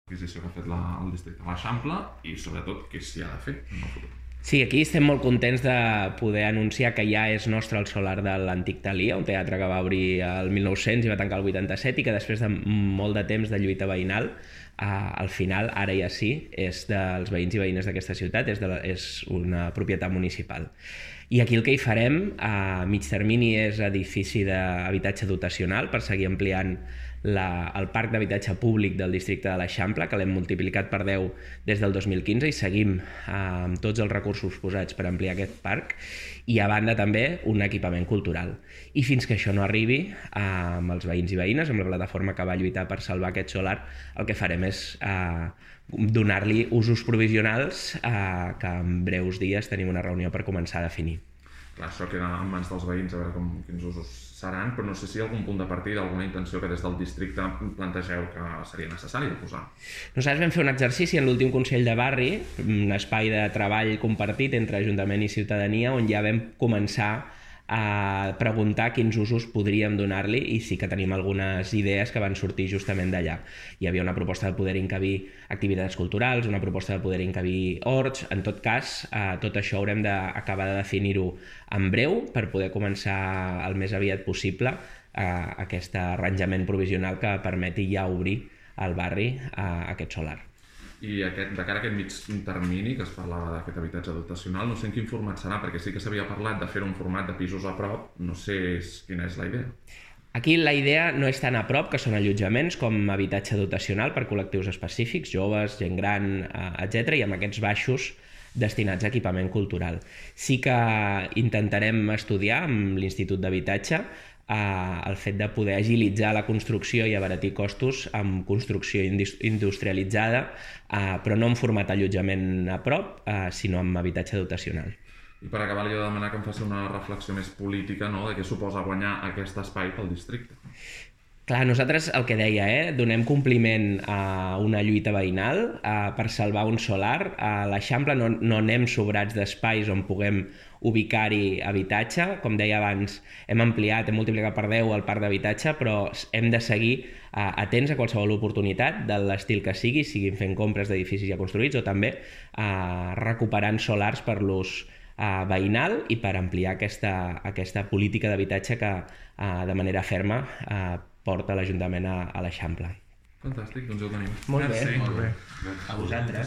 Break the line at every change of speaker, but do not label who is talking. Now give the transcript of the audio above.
l'adquisició que ha fet el districte de l'Eixample i sobretot què s'hi ha de fer en el futur.
Sí, aquí estem molt contents de poder anunciar que ja és nostre el solar de l'antic Thalia, un teatre que va obrir el 1900 i va tancar el 87 i que després de molt de temps de lluita veïnal, al final, ara ja sí, és dels veïns i veïnes d'aquesta ciutat, és una propietat municipal. I aquí el que hi farem a mig termini és edifici d'habitatge dotacional per seguir ampliant el parc d'habitatge públic del districte de l'Eixample, que l'hem multiplicat per 10 des del 2015 i seguim amb tots els recursos posats per ampliar aquest parc i a banda també un equipament cultural. I fins que això no arribi, amb els veïns i veïnes, amb la plataforma que va lluitar per salvar aquest solar, el que farem és donar-li usos provisionals que en breus dies tenim una reunió per començar a definir.
Clar, això queda en mans dels veïns a veure quins usos seran, però no sé si hi ha algun punt de partida, alguna intenció que des del districte plantegeu que seria necessari de posar.
Nosaltres vam fer un exercici en l'últim Consell de Barri, un espai de treball compartit entre Ajuntament i ciutadania, on ja vam començar a preguntar quins usos podríem donar-li i sí que tenim algunes idees que van sortir justament d'allà. Hi havia una proposta de poder encabir activitats culturals, una proposta de poder encabir horts. En tot cas, tot això haurem d'acabar de definir-ho en breu per poder començar el més aviat possible aquest arranjament provisional que permeti ja obrir al barri aquest solar.
I de cara a aquest mig termini, que es parlava d'aquest habitatge dotacional, no sé en quin format serà, perquè sí que s'havia parlat de fer un format de pisos a prop, no sé quina és la idea.
Aquí la idea no és tan a prop, que són allotjaments, com habitatge dotacional per col·lectius específics, joves, gent gran, etc. i amb aquests baixos destinats a equipament cultural. Sí que intentarem estudiar amb l'Institut d'Habitatge el fet de poder agilitzar la construcció i abaratir costos amb construcció industrialitzada, però no en format allotjament a prop, sinó amb habitatge dotacional.
I per acabar li he de demanar que em faci una reflexió més política, no?, de què suposa guanyar aquest espai pel districte.
Clar, nosaltres el que deia, donem compliment a una lluita veïnal per salvar un solar. A l'Eixample no anem sobrats d'espais on puguem ubicar-hi habitatge. Com deia abans, hem ampliat, hem multiplicat per 10 el parc d'habitatge, però hem de seguir atents a qualsevol oportunitat de l'estil que sigui, siguin fent compres d'edificis ja construïts o també recuperant solars per l'ús veïnal i per ampliar aquesta política d'habitatge que de manera ferma porta l'Ajuntament a l'Eixample.
Fantàstic, doncs ja ho tenim.
Molt bé.
Merci.
A vosaltres.